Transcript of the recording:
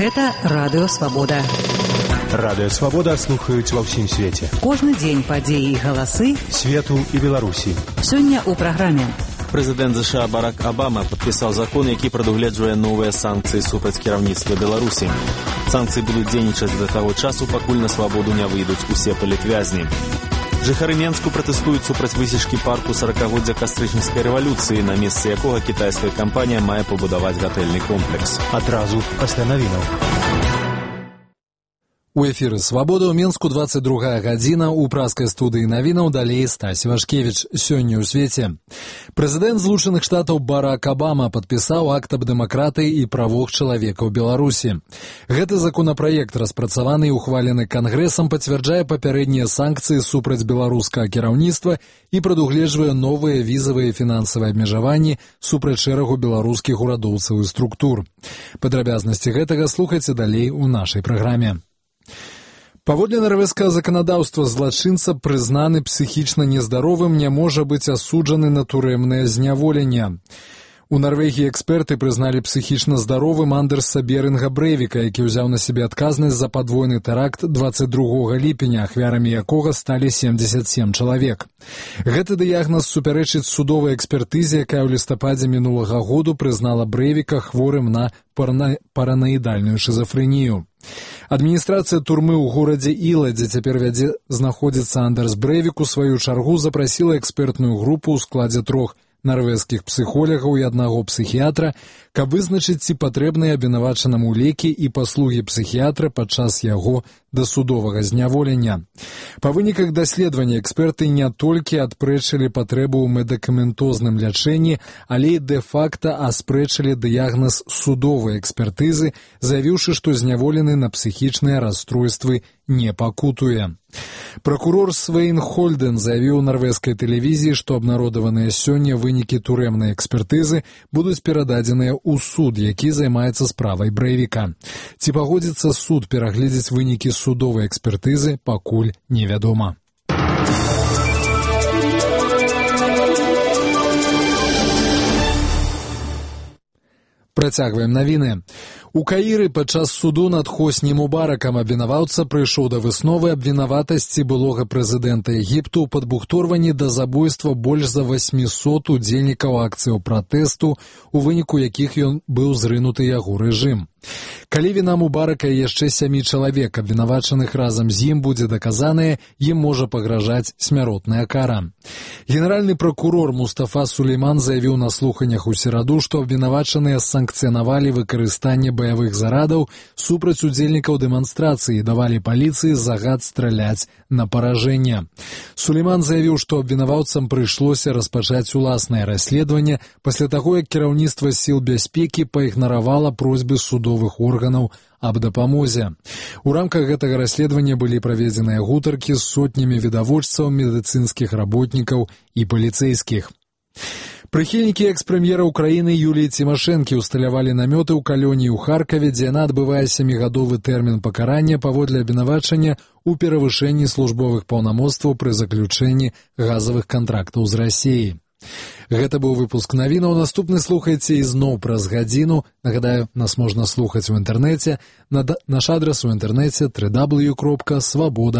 Гэта Радыё Свабода. Радыё Свабода слухаюць ва ўсім свеце. Кожны дзень падзеі і галасы свету і Беларусі. Сёння ў праграме. Прэзідэнт США Барак Абама падпісаў закон, які прадугледжвае новыя санкцыі супраць кіраўніцтва Беларусі. Санкцыі будуць дзейнічаць да таго часу, пакуль на свабоду не выйдуць усе палітвязні. Жыхары Менску пратэстуюць супраць высечкі парку 40-годдзя кастрычніцкай рэвалюцыі, на месцы якога кітайская кампанія мае пабудаваць гатэльны комплекс. Адразу пасля навінаў. У эфіры «Свабода» ў Менску 22 гадзіна, у праскай студыі навінаў далей Стась Вашкевіч. Сёння ў свеце. Прэзідэнт Злучаных Штатаў Барак Абама падпісаў акт аб дэмакратыі і правах чалавека ў Беларусі. Гэты законапраект, распрацаваны і ухвалены Кангрэсам, пацвярджае папярэднія санкцыі супраць беларускага кіраўніцтва і прадугледжвае новыя візавыя і фінансавыя абмежаванні супраць шэрагу беларускіх урадоўцаў і структур. Падрабязнасці гэтага слухайце далей у нашай праграме. Паводле нарвежскага заканадаўства, злачынца, прызнаны псіхічна нездаровым, не можа быць асуджаны на турэмнае зняволенне. У Нарвегіі эксперты прызналі псіхічна здаровым Андерса Берінга Брэйвіка, які ўзяў на сябе адказнасць за падвойны тэракт 22 ліпеня, ахвярамі якога сталі 77 чалавек. Гэты дыягназ супярэчыць судовай экспертызе, якая ў лістападзе мінулага году прызнала Брэйвіка хворым на параноідальную шизафрэнію. Адміністрацыя турмы ў горадзе Іла, дзе цяпер знаходзіцца Андерс Брэйвік, у сваю чаргу запрасіла экспертную групу ў складзе 3 нарвежскіх псіхолягаў і 1 псіхіятра, каб вызначыць, ці патрэбныя абвінавачанаму лекі і паслугі псіхіятра падчас яго дасудовага зняволення. Па выніках даследавання эксперты не толькі адпрэчылі патрэбу ў медыкаментозным лячэнні, але і дэ-факта аспрэчылі дыягназ судовай экспертызы, заявіўшы, што зняволены на псіхічныя расстройствы не пакутуе. Пракурор Свейн Хольден заявіў нарвежскай тэлевізіі, што абнародаваныя сёння вынікі турэмнай экспертызы будуць перададзеныя ў суд, які займаецца справай Брэйвіка. Ці пагодзіцца суд перагледзець вынікі судовай экспертызы, пакуль невядома. Працягваем навіны. У Каіры падчас суду над Хосні Мубаракам абвінаваўца прыйшоў да высновы аб вінаватасці былога прэзідэнта Егіпту ў падбухторванні да забойства больш за 800 удзельнікаў акцыяў пратэсту, у выніку якіх ён быў зрынуты яго рэжым. Калі віна Мубарака і яшчэ 7 чалавек, абвінавачаных разам з ім, будзе даказаная, ім можа пагражаць смяротная кара. Генеральны пракурор Мустафа Сулейман заявіў на слуханнях у сераду, што абвінавачаныя санкцыянавалі выкарыстанне баявых зарадаў супраць удзельнікаў дэманстрацыі і давалі паліцыі загад страляць на паражэнне. Сулейман заявіў, што абвінаваўцам прыйшлося распачаць уласнае расследаванне пасля таго, як кіраўніцтва сіл бяспекі праігнаравала просьбы судовых органаў аб дапамозе. У рамках гэтага расследавання былі праведзеныя гутаркі з сотнямі відавочцаў, медыцынскіх работнікаў і паліцэйскіх. Прыхільнікі экс-прэм'ера Украіны Юліі Цімашэнкі ўсталявалі намёты ў калоніі ў Харкаве, дзе яна адбывае 7-гадовы тэрмін пакарання паводле абвінавачання ў перавышэнні службовых паўнамоцтваў пры заключэнні газавых кантрактаў з Расіяй. Гэта быў выпуск навінаў. Наступны слухайце ізноў праз гадзіну. Нагадаю, нас можна слухаць у інтэрнэце. Наш адрас у інтэрнэце www.svoboda.org.